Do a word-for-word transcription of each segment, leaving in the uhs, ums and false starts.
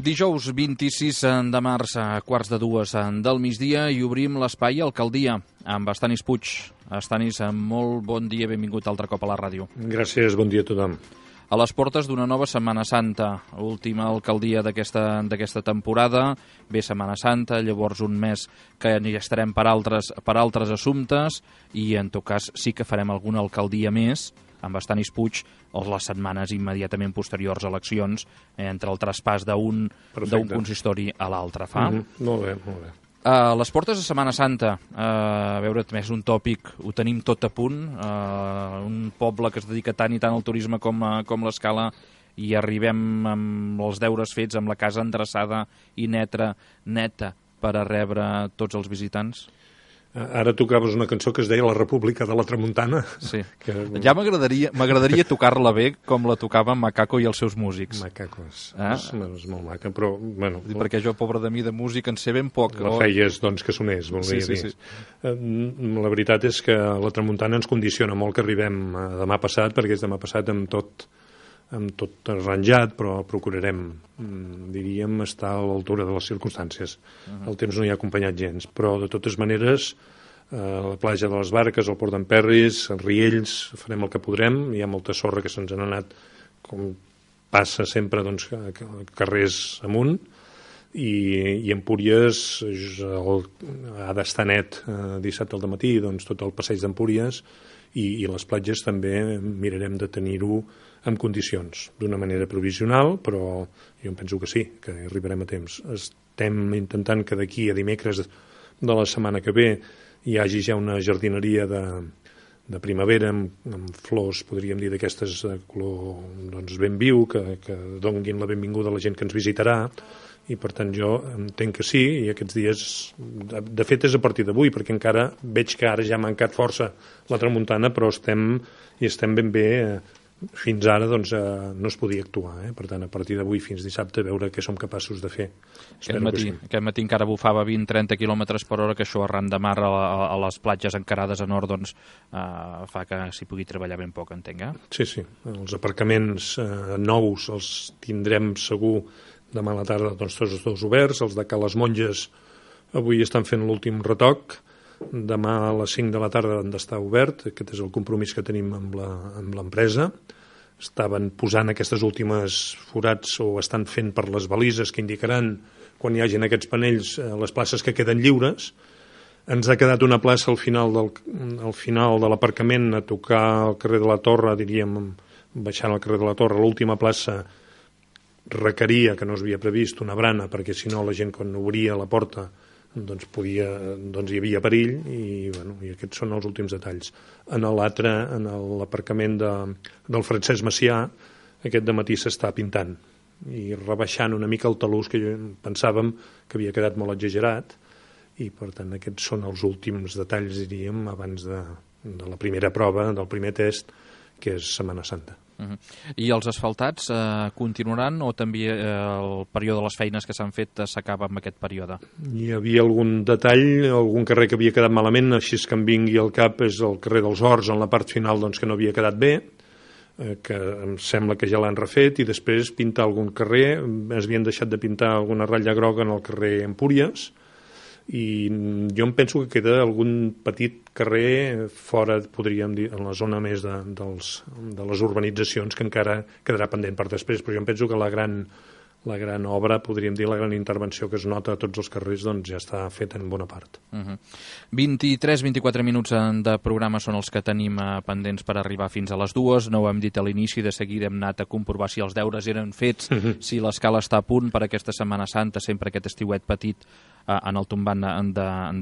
Dijous vint-i-sis de març a quarts de dues del migdia i obrim l'espai Alcaldia amb Estanis Puig. Estanis, molt bon dia, benvingut altre cop a la ràdio. Gràcies, bon dia a tothom. A les portes d'una nova Setmana Santa, última alcaldia d'aquesta d'aquesta temporada, ve Setmana Santa, llavors un mes que hi estarem per altres, per altres assumptes i en tot cas sí que farem alguna alcaldia més amb Estanis Puig o les setmanes immediatament posteriors a eleccions, eh, entre el traspàs d'un d'un consistori a l'altre. Fa? Mm-hmm. Molt bé, molt bé. A les portes de Setmana Santa, uh, a veure, més un tòpic, ho tenim tot a punt, uh, un poble que es dedica tant i tant al turisme com, uh, com l'Escala, i arribem amb els deures fets, amb la casa endreçada i neta, neta per a rebre tots els visitants. Ara tocaves una cançó que es deia La República de la Tramuntana. Sí. Que... Ja m'agradaria m'agradaria tocar-la bé com la tocava Macaco i els seus músics. Macacos. Ah? És, és molt maca, però... Bueno, perquè jo, pobre de mi, de música en sé ben poc. La feies, doncs, que sonés, volia sí, sí, dir. Sí. La veritat és que la Tramuntana ens condiciona molt que arribem demà passat, perquè és demà passat amb tot amb tot arranjat, però procurarem, diríem, estar a l'altura de les circumstàncies. Uh-huh. El temps no hi ha acompanyat gens, però de totes maneres, a la platja de les Barques, al Port d'Emperris, als Riells, farem el que podrem. Hi ha molta sorra que se'ns n'ha anat, com passa sempre, doncs, carrers amunt, i, i Empúries el, ha d'estar net eh, dissabte al matí, doncs, tot el passeig d'Empúries, i, i les platges també mirarem de tenir-ho en condicions, d'una manera provisional, però jo em penso que sí, que arribarem a temps. Estem intentant que d'aquí a dimecres de la setmana que ve hi hagi ja una jardineria de, de primavera amb, amb flors, podríem dir, d'aquestes de color, doncs, ben viu, que, que donguin la benvinguda a la gent que ens visitarà, i per tant jo entenc que sí, i aquests dies, de, de fet és a partir d'avui, perquè encara veig que ara ja ha mancat força la tramuntana, però estem, i estem ben bé... Eh, fins ara doncs, eh, no es podia actuar, eh? Per tant, a partir d'avui fins dissabte veure què som capaços de fer. Aquest matí, sí. aquest matí encara bufava vint a trenta quilòmetres per hora, que això arran de mar a, a, a les platges encarades a nord doncs, eh, fa que s'hi pugui treballar ben poc, entenc, eh? Sí, sí. Els aparcaments eh, nous els tindrem segur demà a la tarda, doncs, tots dos oberts. Els de Ca les Monges avui estan fent l'últim retoc. Demà a les cinc de la tarda han d'estar obert, aquest és el compromís que tenim amb l'empresa. Estaven posant aquestes últimes forats o estan fent per les balises que indicaran quan hi hagin aquests panells les places que queden lliures. Ens ha quedat una plaça al final del, al final de l'aparcament a tocar al carrer de la Torre, diríem, baixant al carrer de la Torre, l'última plaça requeria, que no s'havia previst, una brana, perquè si no la gent quan obria la porta doncs, podia, doncs hi havia perill i, bueno, i aquests són els últims detalls. En l'altre, en l'aparcament de, del Francesc Macià, aquest dematí s'està pintant i rebaixant una mica el talús que jo pensàvem que havia quedat molt exagerat i per tant aquests són els últims detalls, diríem, abans de, de la primera prova, del primer test, que és Setmana Santa. Uh-huh. I els asfaltats eh, continuaran o també eh, el període de les feines que s'han fet eh, s'acaba amb aquest període? Hi havia algun detall, algun carrer que havia quedat malament, així que em vingui al cap és el carrer dels Horts, en la part final doncs, que no havia quedat bé, eh, que em sembla que ja l'han refet, i després pintar algun carrer, es havien deixat de pintar alguna ratlla groga en el carrer Empúries, i jo em penso que queda algun petit carrer fora, podríem dir, en la zona més de, dels, de les urbanitzacions que encara quedarà pendent per després, però jo em penso que la gran, la gran obra, podríem dir, la gran intervenció que es nota a tots els carrers, doncs ja està feta en bona part. Uh-huh. vint-i-tres a vint-i-quatre minuts de programa són els que tenim eh, pendents per arribar fins a les dues. No ho hem dit a l'inici, de seguida hem anat a comprovar si els deures eren fets, uh-huh. si l'escala està a punt per aquesta Setmana Santa, sempre aquest estiuet petit en el tombant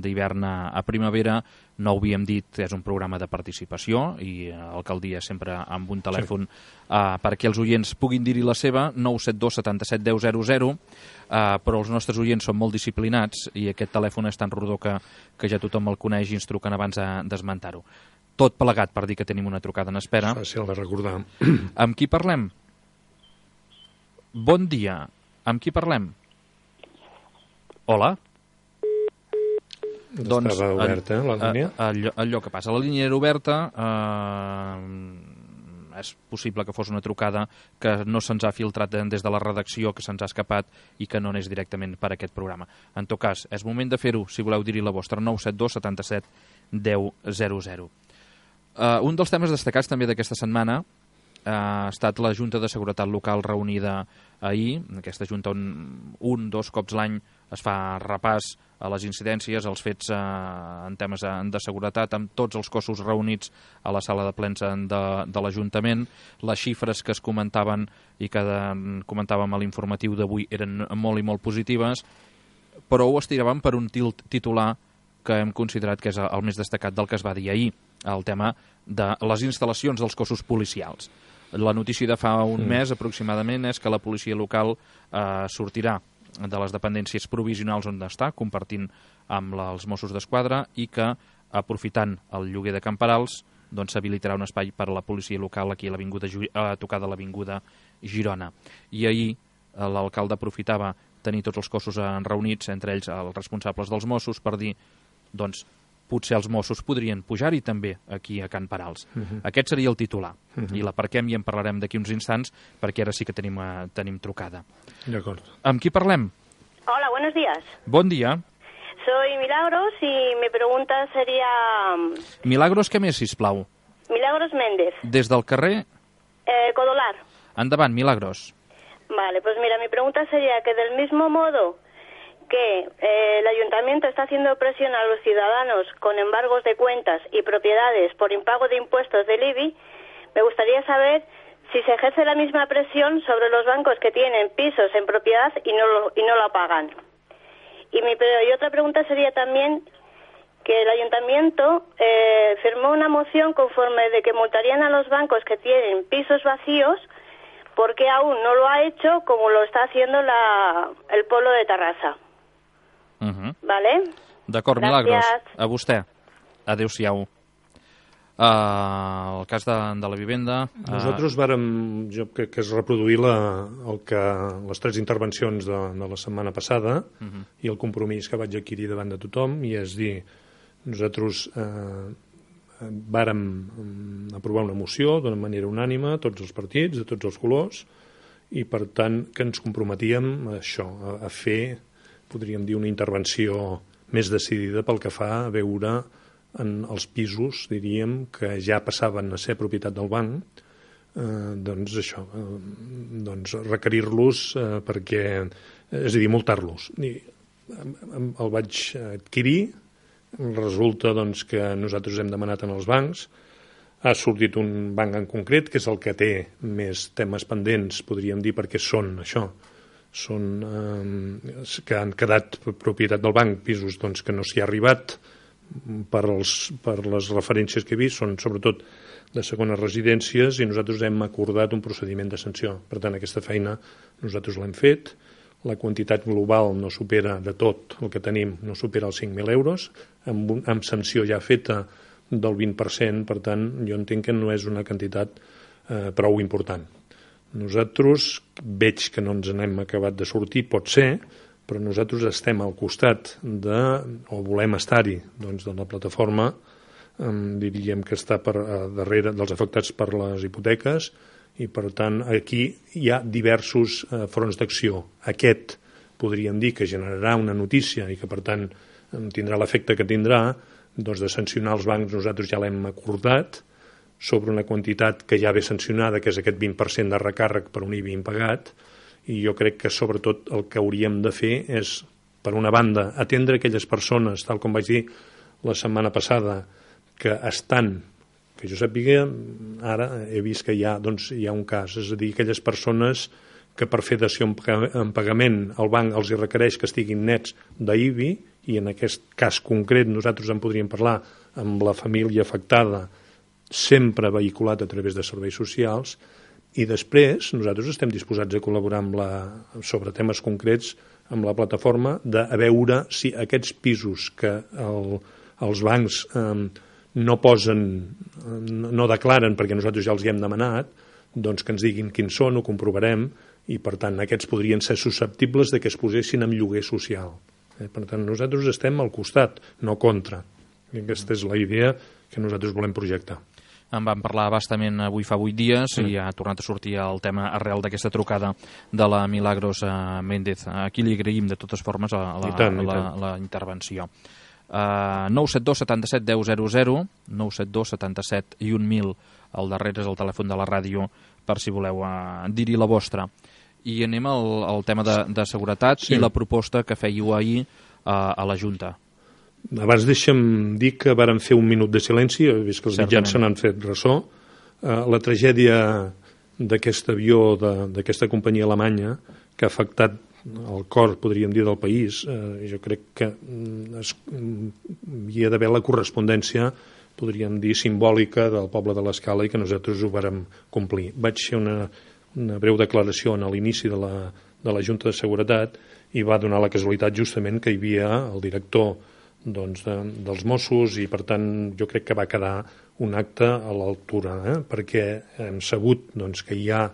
d'hivern a primavera. No ho havíem dit, és un programa de participació i l'alcaldia sempre amb un telèfon sí. uh, perquè els oients puguin dir-hi la seva, nou set dos setanta-set deu zero zero, uh, però els nostres oients són molt disciplinats i aquest telèfon és tan rodó que, que ja tothom el coneix i ens truquen abans d'esmentar-ho. Tot plegat per dir que tenim una trucada en espera. És fàcil de recordar. Amb qui parlem? Bon dia. Amb qui parlem? Hola? Doncs, estava oberta la línia? Allò, allò que passa, la línia era oberta, eh, és possible que fos una trucada que no se'ns ha filtrat des de la redacció, que se'ns ha escapat i que no anés directament per aquest programa. En tot cas, és moment de fer-ho, si voleu dir-hi la vostra, nou set dos setanta-set deu zero zero. Uh, un dels temes destacats també d'aquesta setmana uh, ha estat la Junta de Seguretat Local reunida ahir. Aquesta Junta on un, dos cops l'any es fa repàs a les incidències, als fets uh, en temes de, de seguretat, amb tots els cossos reunits a la sala de plens de, de l'Ajuntament. Les xifres que es comentaven i que de, comentàvem a l'informatiu d'avui eren molt i molt positives, però ho estiraven per un titular que hem considerat que és el més destacat del que es va dir ahir, el tema de les instal·lacions dels cossos policials. La notícia de fa un mm. mes aproximadament és que la policia local eh, sortirà de les dependències provisionals on està, compartint amb la, els Mossos d'Esquadra, i que, aprofitant el lloguer de camperals, doncs s'habilitarà un espai per a la policia local aquí a l'avinguda a tocar de l'avinguda Girona. I ahir eh, l'alcalde aprofitava tenir tots els cossos reunits, entre ells els responsables dels Mossos, per dir doncs potser els Mossos podrien pujar-hi també aquí a Can Parals. Uh-huh. Aquest seria el titular. Uh-huh. I l'aparquem i en parlarem d'aquí uns instants, perquè ara sí que tenim, uh, tenim trucada. D'acord. Amb qui parlem? Hola, buenos días. Bon dia. Soy Milagros y mi pregunta sería... Milagros, què més, sisplau? Milagros Méndez. Des del carrer? Eh, Codolar. Endavant, Milagros. Vale, pues mira, mi pregunta sería que del mismo modo que eh, el ayuntamiento está haciendo presión a los ciudadanos con embargos de cuentas y propiedades por impago de impuestos del I B I, me gustaría saber si se ejerce la misma presión sobre los bancos que tienen pisos en propiedad y no lo, y no lo pagan. Y, mi, y otra pregunta sería también que el ayuntamiento eh, firmó una moción conforme de que multarían a los bancos que tienen pisos vacíos, porque aún no lo ha hecho como lo está haciendo la, el pueblo de Tarrasa. Uh-huh. Vale? D'acord, Milagros. A vostè. Adéu-siau. Uh, el cas de, de la vivenda... Uh... Nosaltres vàrem, jo crec que es reproduir la, el que, les tres intervencions de, de la setmana passada uh-huh. i el compromís que vaig adquirir davant de tothom, i és dir, nosaltres eh, vàrem aprovar una moció d'una manera unànime, tots els partits, de tots els colors, i per tant que ens comprometíem a això, a, a fer, podríem dir, una intervenció més decidida pel que fa a veure en els pisos, diríem, que ja passaven a ser propietat del banc, eh, doncs això, eh, doncs requerir-los eh, perquè, és a dir, multar-los. I el vaig adquirir, resulta doncs, que nosaltres hem demanat en els bancs, ha sortit un banc en concret, que és el que té més temes pendents, podríem dir, perquè són això, són eh, que han quedat propietat del banc, pisos doncs, que no s'hi ha arribat per, els, per les referències que he vist, són sobretot de segones residències, i nosaltres hem acordat un procediment de sanció. Per tant, aquesta feina nosaltres l'hem fet, la quantitat global no supera de tot el que tenim, no supera els cinc mil euros, amb, amb sanció ja feta del vint per cent, per tant, jo entenc que no és una quantitat eh, prou important. Nosaltres veig que no ens n'hem acabat de sortir, pot ser, però nosaltres estem al costat de, o volem estar-hi, doncs, de la plataforma, eh, diríem que està per eh, darrere dels afectats per les hipoteques, i per tant aquí hi ha diversos eh, fronts d'acció. Aquest podríem dir que generarà una notícia i que per tant tindrà l'efecte que tindrà, doncs de sancionar els bancs nosaltres ja l'hem acordat, sobre una quantitat que ja ve sancionada, que és aquest vint per cent de recàrrec per un I B I impagat, i jo crec que sobretot el que hauríem de fer és, per una banda, atendre aquelles persones, tal com vaig dir la setmana passada, que estan, que jo sàpiga, ara he vist que hi ha, doncs, hi ha un cas, és a dir, aquelles persones que per fer dació en pagament el banc els hi requereix que estiguin nets d'I B I, i en aquest cas concret nosaltres en podríem parlar amb la família afectada, sempre vehiculat a través de serveis socials, i després nosaltres estem disposats a col·laborar amb la, sobre temes concrets amb la plataforma, de a veure si aquests pisos que el, els bancs eh, no posen, no, no declaren perquè nosaltres ja els hi hem demanat, doncs que ens diguin quins són, ho comprovarem, i per tant aquests podrien ser susceptibles de que es posessin en lloguer social. Eh, per tant nosaltres estem al costat, no contra. I aquesta és la idea que nosaltres volem projectar. En vam parlar bastament avui fa vuit dies mm. i ha tornat a sortir el tema arrel d'aquesta trucada de la Milagros Méndez. Aquí li agraïm de totes formes a la, tant, la, la intervenció. Uh, nou set dos setanta-set deu zero zero, nou set dos setanta-set i un mil, al darrere és el telèfon de la ràdio per si voleu uh, dir-hi la vostra. I anem al, al tema de, de seguretat sí. i la proposta que fèieu ahir uh, a la Junta. Abans deixa'm dir que vàrem fer un minut de silenci, he vist que els mitjans se n'han fet ressò. Uh, la tragèdia d'aquest avió, d'aquesta companyia alemanya, que ha afectat el cor, podríem dir, del país, eh, jo crec que es, hi ha d'haver la correspondència, podríem dir, simbòlica del poble de l'Escala i que nosaltres ho vàrem complir. Vaig fer una, una breu declaració a l'inici de, la, de la Junta de Seguretat i va donar la casualitat justament que hi havia el director doncs, de, dels Mossos i, per tant, jo crec que va quedar un acte a l'altura, eh? perquè hem sabut doncs, que hi ha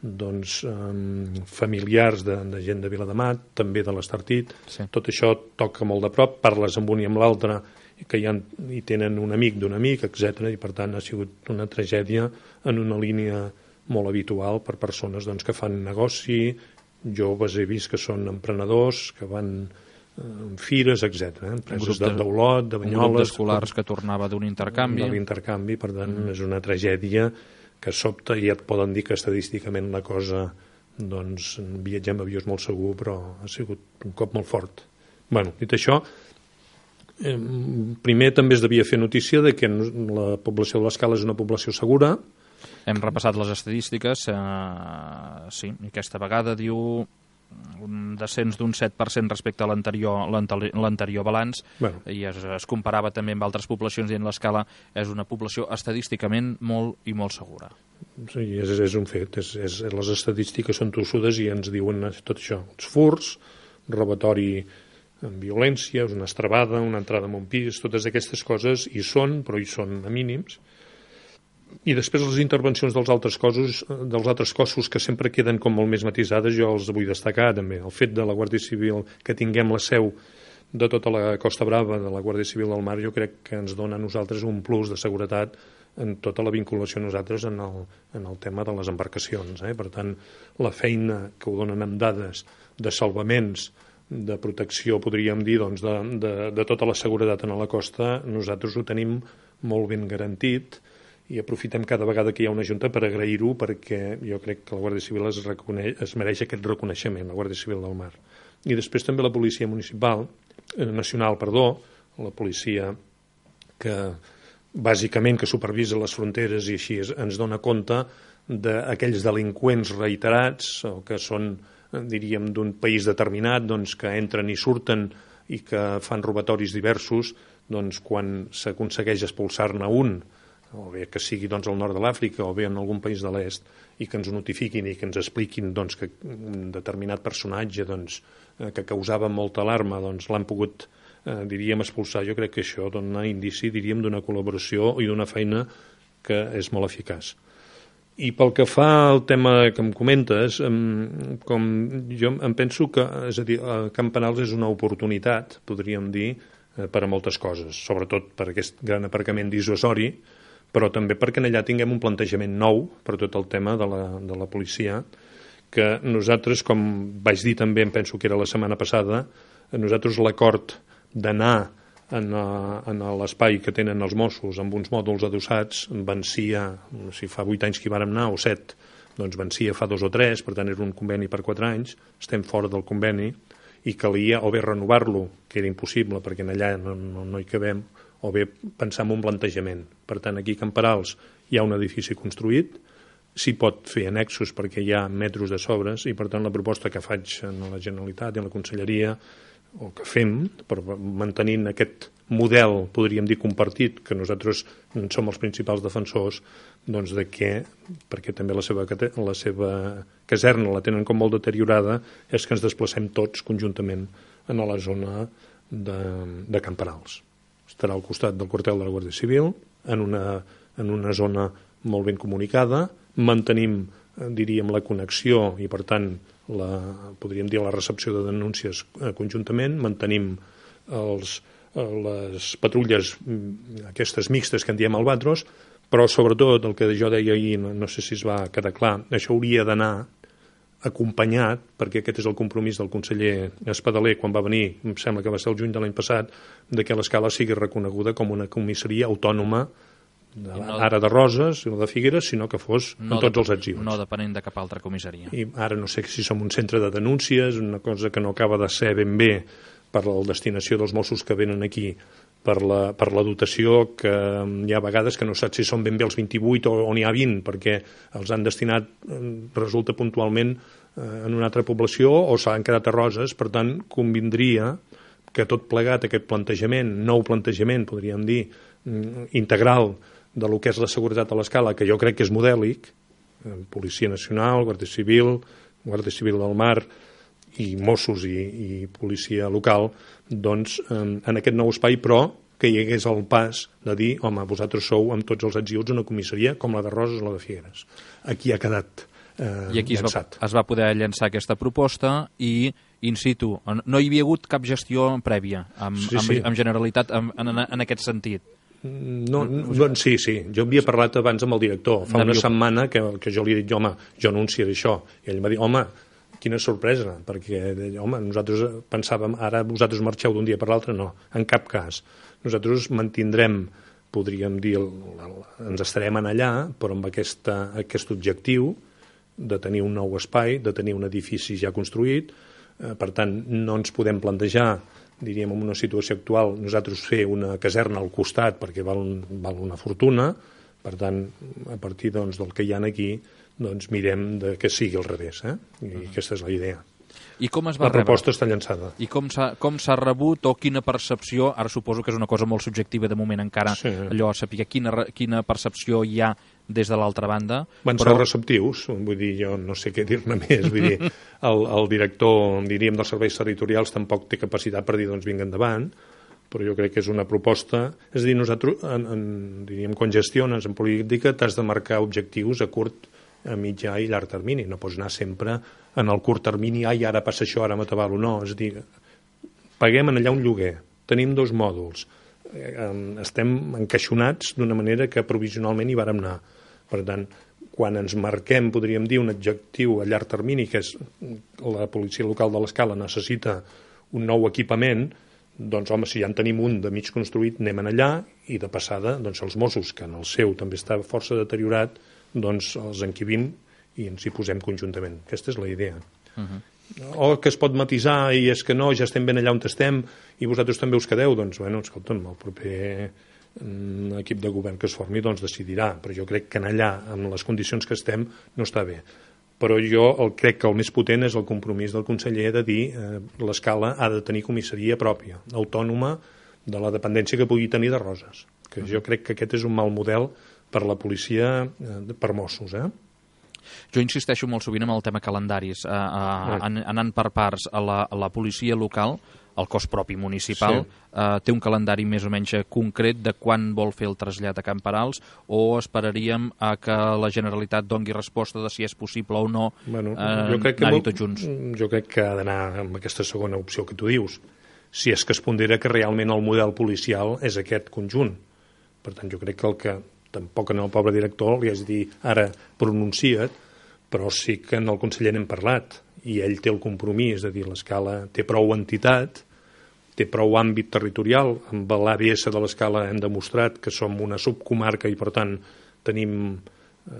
doncs, um, familiars de, de gent de Viladamat, també de l'Estartit. Sí. Tot això toca molt de prop, parles amb un i amb l'altre, que hi, ha, hi tenen un amic d'un amic, etcètera, i per tant ha sigut una tragèdia en una línia molt habitual per persones doncs, que fan negoci, joves he vist que són emprenedors, que van en fires, etcètera. Eh? Empreses d'Olot, de Banyoles... Un grup d'escolars que tornava d'un intercanvi. De l'intercanvi, per tant, mm. és una tragèdia que sobta i et poden dir que estadísticament la cosa, doncs, viatgem a avió és molt segur, però ha sigut un cop molt fort. Bueno, dit això, eh, primer també es devia fer notícia de que la població de l'Escala és una població segura. Hem repassat les estadístiques, eh, sí, i aquesta vegada diu un descens d'un set per cent respecte a l'anterior l'anterior balanç, bueno. i es, es comparava també amb altres poblacions i en l'Escala és una població estadísticament molt i molt segura. Sí, és, és un fet. És, és, les estadístiques són tossudes i ens diuen tot això. Els furts, robatori amb violència, una estrabada, una entrada en un pis, totes aquestes coses hi són, però hi són a mínims. I després les intervencions dels altres cossos, dels altres cossos que sempre queden com molt més matisades, jo els vull destacar també. El fet de la Guàrdia Civil, que tinguem la seu de tota la Costa Brava, de la Guàrdia Civil del Mar, jo crec que ens dona a nosaltres un plus de seguretat en tota la vinculació a nosaltres en el, en el tema de les embarcacions. Eh? Per tant, la feina que ho donen amb dades de salvaments, de protecció, podríem dir, doncs, de, de, de tota la seguretat en la costa, nosaltres ho tenim molt ben garantit, i aprofitem cada vegada que hi ha una junta per agrair-ho, perquè jo crec que la Guàrdia Civil es, reconeix, es mereix aquest reconeixement, la Guàrdia Civil del Mar. I després també la policia municipal, eh, nacional, perdó, la policia que bàsicament que supervisa les fronteres i així ens dona compte d'aquells delinqüents reiterats o que són, diríem, d'un país determinat, doncs, que entren i surten i que fan robatoris diversos, doncs quan s'aconsegueix expulsar-ne un, o bé que sigui doncs, al nord de l'Àfrica o bé en algun país de l'est, i que ens ho notifiquin i que ens expliquin doncs, que un determinat personatge doncs, eh, que causava molta alarma doncs, l'han pogut, eh, diríem, expulsar. Jo crec que això dona indici, diríem, d'una col·laboració i d'una feina que és molt eficaç. I pel que fa al tema que em comentes, em, com jo em penso que, és a dir, Campanals és una oportunitat, podríem dir, eh, per a moltes coses, sobretot per aquest gran aparcament dissuasori, però també perquè allà tinguem un plantejament nou per tot el tema de la, de la policia, que nosaltres, com vaig dir també, em penso que era la setmana passada, nosaltres l'acord d'anar en, en l'espai que tenen els Mossos amb uns mòduls adossats vencia, si fa vuit anys que hi vàrem anar, o set, doncs vencia fa dos o tres, per tant era un conveni per quatre anys, estem fora del conveni, i calia o bé renovar-lo, que era impossible perquè allà no, no, no hi cabem, o bé pensar en un plantejament. Per tant, aquí a Camperals hi ha un edifici construït, s'hi pot fer annexos perquè hi ha metros de sobres i, per tant, la proposta que faig a la Generalitat i a la Conselleria, o que fem, per mantenint aquest model, podríem dir, compartit, que nosaltres som els principals defensors, doncs de què, perquè també la seva, la seva caserna la tenen com molt deteriorada, és que ens desplacem tots conjuntament a la zona de, de Camperals. Estarà al costat del quartel de la Guàrdia Civil, en una, en una zona molt ben comunicada, mantenim, diríem, la connexió i, per tant, la, podríem dir la recepció de denúncies conjuntament, mantenim els, les patrulles aquestes mixtes que en diem albatros, Però sobretot el que jo deia ahir, no sé si es va quedar clar, això hauria d'anar acompanyat, perquè aquest és el compromís del conseller Espadaler quan va venir, em sembla que va ser el juny de l'any passat, de que l'Escala sigui reconeguda com una comissaria autònoma, de, no, ara de Roses o de Figueres, sinó que fos no en tots de, els arxius. No depenent de cap altra comissaria. I ara no sé si som un centre de denúncies, una cosa que no acaba de ser ben bé per la destinació dels Mossos que venen aquí, per la, per la dotació, que hi ha vegades que no saps si són ben bé els vint-i-vuit o, o n'hi ha vint, perquè els han destinat, resulta puntualment, eh, en una altra població o s'han quedat a Roses. Per tant, convindria que tot plegat aquest plantejament, nou plantejament, podríem dir, integral de lo que és la seguretat a l'Escala, que jo crec que és modèlic, eh, Policia Nacional, Guàrdia Civil, Guàrdia Civil del Mar i Mossos i, i policia local, doncs eh, en aquest nou espai, però que hi hagués el pas de dir, home, vosaltres sou amb tots els adjunts una comissaria com la de Roses o la de Figueres. Aquí ha quedat eh, I aquí llançat. Es va, es va poder llançar aquesta proposta i in situ, no hi havia hagut cap gestió prèvia amb, sí, sí. amb, amb Generalitat en, en, en aquest sentit. No, no, sí, sí. Jo havia parlat abans amb el director. Fa una setmana que, que jo li he dit, home, jo anunciaré això. I ell m'ha dit, home, quina sorpresa, perquè, home, nosaltres pensàvem, ara vosaltres marxeu d'un dia per l'altre, no, en cap cas. Nosaltres mantindrem, podríem dir, el, el, ens estarem en allà, però amb aquesta, aquest objectiu de tenir un nou espai, de tenir un edifici ja construït. Eh, per tant, no ens podem plantejar, diríem, en una situació actual, nosaltres fer una caserna al costat perquè val, val una fortuna. Per tant, a partir doncs, del que hi ha aquí, doncs mirem de que sigui al revés, eh? I uh-huh. aquesta és la idea. I com es va la proposta rebre? Està llançada. I com s'ha com s'ha rebut o quina percepció, ara suposo que és una cosa molt subjectiva de moment encara, sí. allò a saber quina, quina percepció hi ha des de l'altra banda. Van però... ser receptius, vull dir, jo no sé què dir-ne més, vull dir, el, el director, diríem, dels serveis territorials tampoc té capacitat per dir, doncs vinga endavant, però jo crec que és una proposta, és a dir, nosaltres, en, en, diríem, quan gestiones en política t'has de marcar objectius a curt, a mitjà i llarg termini, no pots anar sempre en el curt termini, ai, ara passa això, ara m'atabalo, no, és a dir, paguem en allà un lloguer, tenim dos mòduls, estem encaixonats d'una manera que provisionalment hi vàrem anar. Per tant, quan ens marquem, podríem dir, un objectiu a llarg termini, que és la policia local de l'Escala necessita un nou equipament, doncs, home, si ja en tenim un de mig construït, anem en allà, i de passada, doncs, els Mossos, que en el seu també està força deteriorat, doncs els enquibim i ens hi posem conjuntament. Aquesta és la idea. Uh-huh. O que es pot matisar i és que no, ja estem ben allà on estem i vosaltres també us quedeu, doncs, bueno, escolta'm, el proper mm, equip de govern que es formi, doncs decidirà, però jo crec que en allà, amb les condicions que estem, no està bé. Però jo el, crec que el més potent és el compromís del conseller de dir eh, l'Escala ha de tenir comissaria pròpia, autònoma de la dependència que pugui tenir de Roses, que uh-huh. jo crec que aquest és un mal model per la policia, eh, per Mossos, eh? Jo insisteixo molt sovint amb el tema calendaris, eh, eh, an, anant per parts a la, a la policia local, el cos propi municipal, sí. eh, té un calendari més o menys concret de quan vol fer el trasllat a Camperals, o esperaríem a que la Generalitat dongui resposta de si és possible o no bueno, eh, anar-hi tots junts? Jo crec que ha d'anar amb aquesta segona opció que tu dius, si és que es pondera que realment el model policial és aquest conjunt. Per tant, jo crec que el que tampoc en el pobre director li has de dir ara pronuncia't, però sí que en el conseller n'hem parlat i ell té el compromís de dir l'Escala té prou entitat, té prou àmbit territorial, amb l'A B S de l'Escala hem demostrat que som una subcomarca i per tant tenim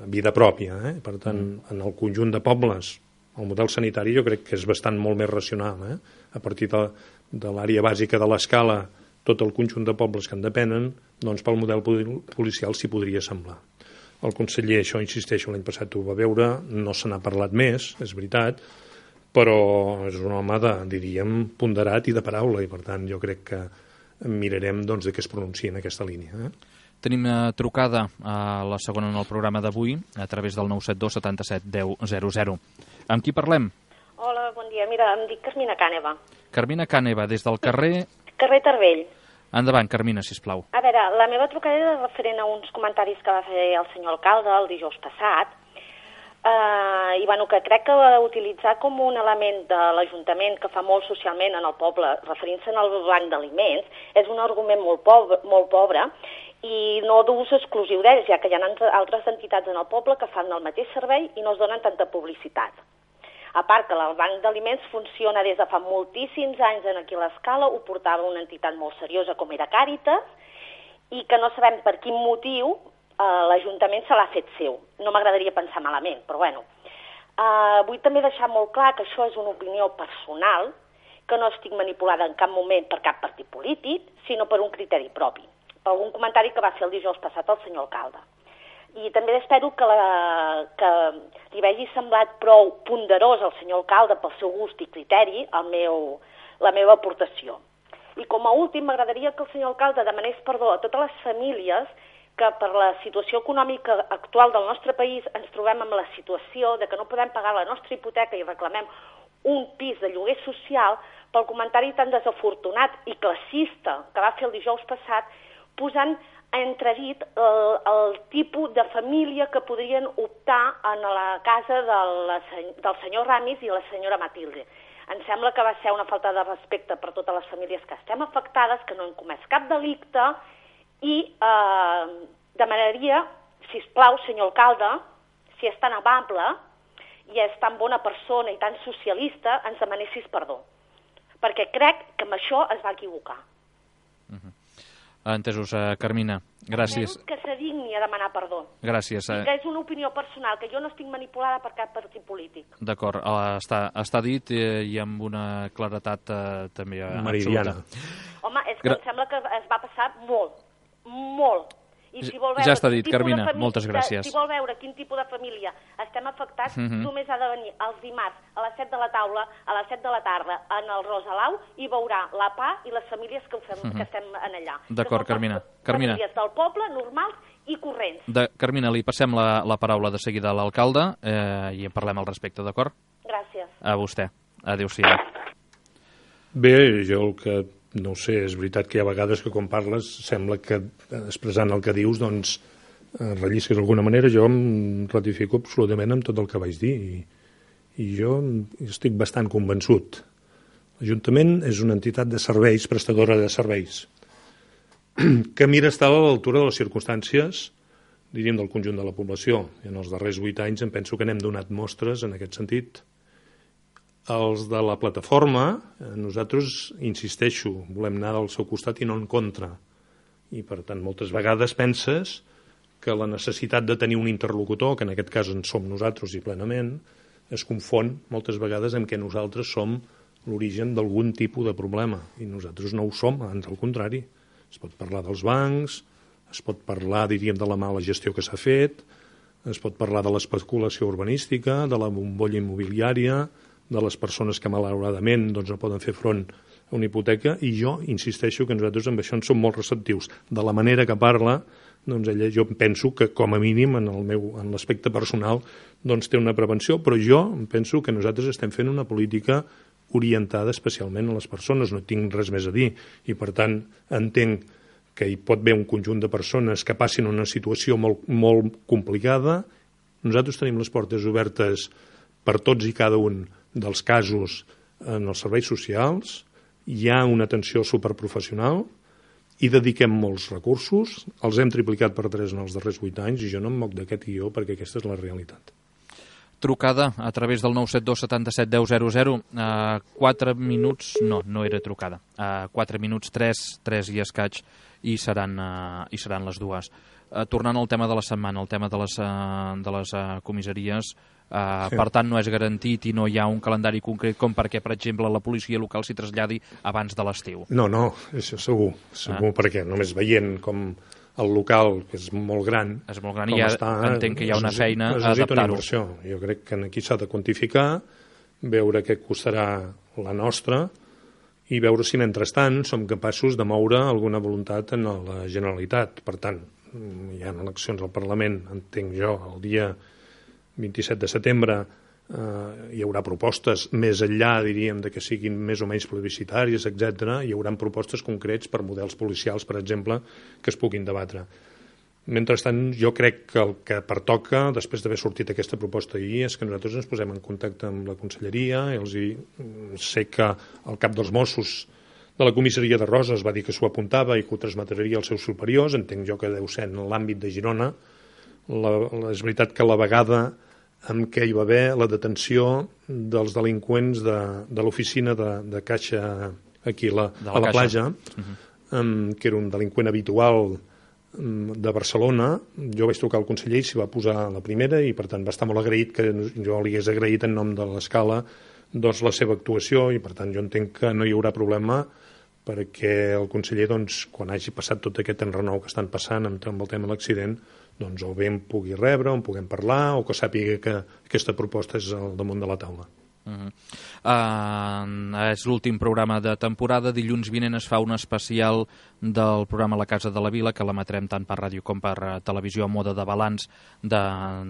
vida pròpia, eh? Per tant mm. en el conjunt de pobles el model sanitari jo crec que és bastant molt més racional, eh? A partir de, de l'àrea bàsica de l'Escala, tot el conjunt de pobles que en depenen, doncs pel model policial s'hi podria semblar. El conseller, això insisteixo, l'any passat ho va veure, no se n'ha parlat més, és veritat, però és un home de, diríem, ponderat i de paraula, i per tant jo crec que mirarem doncs, de què es pronuncia en aquesta línia. Eh? Tenim trucada a la segona en el programa d'avui, a través del nou set dos setanta-set deu zero zero. Amb qui parlem? Hola, bon dia. Mira, em dic Carmina Càneva. Carmina Càneva, des del carrer... Carrer Tarbell. Endavant, Carmina, sisplau. A veure, la meva trucada era referent a uns comentaris que va fer el senyor alcalde el dijous passat, eh, i bueno, que crec que utilitzar com un element de l'Ajuntament que fa molt socialment en el poble, referint-se al banc d'aliments, és un argument molt pobre, molt pobre i no d'ús exclusiu d'ells, ja que hi ha altres entitats en el poble que fan el mateix servei i no es donen tanta publicitat. A part que el banc d'aliments funciona des de fa moltíssims anys en aquí a l'Escala, ho portava una entitat molt seriosa com era Càritas, i que no sabem per quin motiu eh, l'Ajuntament se l'ha fet seu. No m'agradaria pensar malament, però bueno. Eh, vull també deixar molt clar que això és una opinió personal, que no estic manipulada en cap moment per cap partit polític, sinó per un criteri propi. Per algun comentari que va fer el dijous passat el senyor alcalde. I també espero que, la, que li hagi semblat prou ponderós al senyor alcalde pel seu gust i criteri el meu, la meva aportació. I com a últim m'agradaria que el senyor alcalde demanés perdó a totes les famílies que per la situació econòmica actual del nostre país ens trobem amb la situació de que no podem pagar la nostra hipoteca i reclamem un pis de lloguer social pel comentari tan desafortunat i classista que va fer el dijous passat, posant a entredit el, el tipus de família que podrien optar en la casa de la, del senyor Ramis i la senyora Matilde. Em sembla que va ser una falta de respecte per totes les famílies que estem afectades, que no han comès cap delicte, i eh, demanaria, sisplau, senyor alcalde, si és tan amable i és tan bona persona i tan socialista, ens demanessis perdó. Perquè crec que amb això es va equivocar. Uh-huh. Entesos, uh, Carmina. Gràcies. Que se digni a demanar perdó. Gràcies. I que és una opinió personal, que jo no estic manipulada per cap partit polític. D'acord, uh, està, està dit eh, i amb una claretat uh, també uh, Meridiana. Absoluta. Home, és que Gra em sembla que es va passar molt, molt. I si vol veure ja està dit, Carmina, família, moltes gràcies. Si vol veure quin tipus de família estem afectats, uh-huh. només ha de venir els dimarts a les set de la taula, a les set de la tarda, en el Rosalau, i veurà la P A i les famílies que, fem, uh-huh. que estem en allà. D'acord, Carmina. Carmina. Famílies del poble, normals i corrents. De, Carmina, li passem la, la paraula de seguida a l'alcalde eh, i en parlem al respecte, d'acord? Gràcies. A vostè. Adéu-siau. Bé, jo el que... No ho sé, és veritat que hi ha vegades que quan parles sembla que expressant el que dius doncs rellisques d'alguna manera. Jo em ratifico absolutament amb tot el que vaig dir i, i jo estic bastant convençut. L'Ajuntament és una entitat de serveis, prestadora de serveis, que mira estar a l'altura de les circumstàncies, diríem, del conjunt de la població. I en els darrers vuit anys em penso que n'hem donat mostres en aquest sentit. Els de la plataforma, nosaltres, insisteixo, volem anar al seu costat i no en contra. I, per tant, moltes vegades penses que la necessitat de tenir un interlocutor, que en aquest cas en som nosaltres i plenament, es confon moltes vegades amb que nosaltres som l'origen d'algun tipus de problema. I nosaltres no ho som, ans al contrari. Es pot parlar dels bancs, es pot parlar, diríem, de la mala gestió que s'ha fet, es pot parlar de l'especulació urbanística, de la bombolla immobiliària, de les persones que malauradament doncs, no poden fer front a una hipoteca, i jo insisteixo que nosaltres amb això en som molt receptius. De la manera que parla, doncs ella, jo penso que com a mínim en el meu, en l'aspecte personal doncs té una prevenció, però jo penso que nosaltres estem fent una política orientada especialment a les persones, no tinc res més a dir, i per tant entenc que hi pot haver un conjunt de persones que passin una situació molt, molt complicada. Nosaltres tenim les portes obertes per tots i cada un dels casos en els serveis socials, hi ha una atenció superprofessional i dediquem molts recursos, els hem triplicat per tres en els darrers vuit anys i jo no em moc d'aquest guió perquè aquesta és la realitat. Trucada a través del nou set dos setanta-set deu zero zero, a quatre minuts, no, no era trucada, a quatre minuts, tres, tres i escaig, i seran, uh, i seran les dues. Uh, tornant al tema de la setmana, el tema de les, uh, de les uh, comissaries, Uh, sí. Per tant, no és garantit i no hi ha un calendari concret com perquè, per exemple, la policia local s'hi traslladi abans de l'estiu. No, no, això segur, segur, ah. perquè només veient com el local, que és molt gran, és molt gran i ja està, entenc que hi ha una feina a adaptar-ho. Jo crec que aquí s'ha de quantificar, veure què costarà la nostra i veure si, mentrestant, som capaços de moure alguna voluntat en la Generalitat. Per tant, hi ha eleccions al Parlament, entenc jo, el dia vint-i-set de setembre eh, hi haurà propostes més enllà, diríem, de que siguin més o menys plebiscitàries, etcètera. Hi haurà propostes concrets per models policials, per exemple, que es puguin debatre. Mentrestant, jo crec que el que pertoca, després d'haver sortit aquesta proposta ahir, és que nosaltres ens posem en contacte amb la Conselleria i els hi... sé que el cap dels Mossos de la comissaria de Roses va dir que s'ho apuntava i que ho transmetria als seus superiors. Entenc jo que deu ser en l'àmbit de Girona. La, la, és veritat que la vegada en què hi va haver la detenció dels delinqüents de, de l'oficina de, de Caixa aquí la, la a la platja, uh-huh. um, que era un delinqüent habitual um, de Barcelona. Jo vaig trucar al conseller i s'hi va posar la primera i per tant va estar molt agraït, que jo li hagués agraït en nom de l'Escala doncs, la seva actuació, i per tant jo entenc que no hi haurà problema perquè el conseller, doncs, quan hagi passat tot aquest enrenou que estan passant amb, amb el tema de l'accident, doncs o bé em pugui rebre, o en puguem parlar, o que sàpiga que aquesta proposta és al damunt de la taula. Uh-huh. Uh, és l'últim programa de temporada. Dilluns vinent es fa un especial del programa La Casa de la Vila, que l'emetrem tant per ràdio com per uh, televisió a mode de balanç de,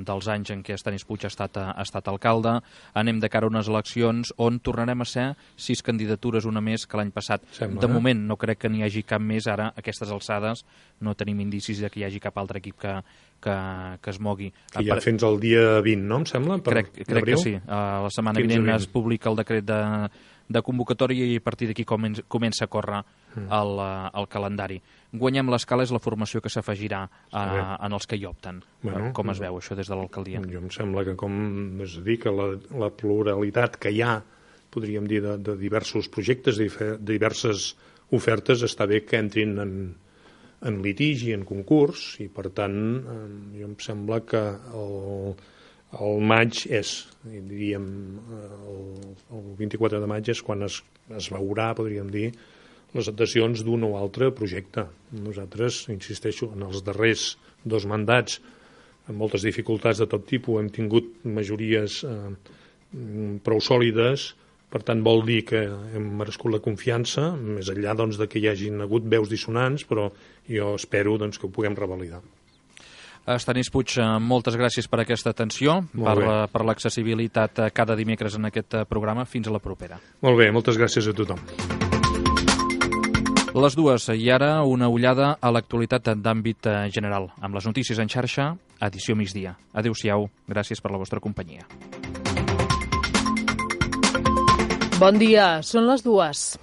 dels anys en què Estanis Puig ha estat, ha estat alcalde. Anem de cara a unes eleccions on tornarem a ser sis candidatures, una més que l'any passat. Sembla, de moment no crec que n'hi hagi cap més. Ara, a aquestes alçades, no tenim indicis de que hi hagi cap altre equip que, que, que es mogui. Que ja fins al dia vint, no, em sembla? Per crec crec que sí. Uh, la setmana vinent es publica el decret de, de convocatòria i a partir d'aquí comença, comença a córrer mm. el, el calendari. Guanyem l'Escala és la formació que s'afegirà en els que hi opten. Bueno, com es veu això des de l'alcaldia? Jo em sembla que, com és a dir, que la, la pluralitat que hi ha, podríem dir, de, de diversos projectes, de diverses ofertes, està bé que entrin en, en litigi, en concurs, i per tant jo em sembla que el El maig és, diríem, el, el vint-i-quatre de maig és quan es, es veurà, podríem dir, les adhesions d'un o altre projecte. Nosaltres, insisteixo, en els darrers dos mandats, amb moltes dificultats de tot tipus, hem tingut majories eh, prou sòlides, per tant vol dir que hem merescut la confiança, més enllà doncs, de que hi hagin hagut veus dissonants, però jo espero doncs, que ho puguem revalidar. Estanis Puig, moltes gràcies per aquesta atenció, per, per l'accessibilitat cada dimecres en aquest programa. Fins a la propera. Molt bé, moltes gràcies a tothom. Les dues, i ara una ullada a l'actualitat d'àmbit general, amb les notícies en xarxa, edició migdia. Adéu-siau, gràcies per la vostra companyia. Bon dia, són les dues.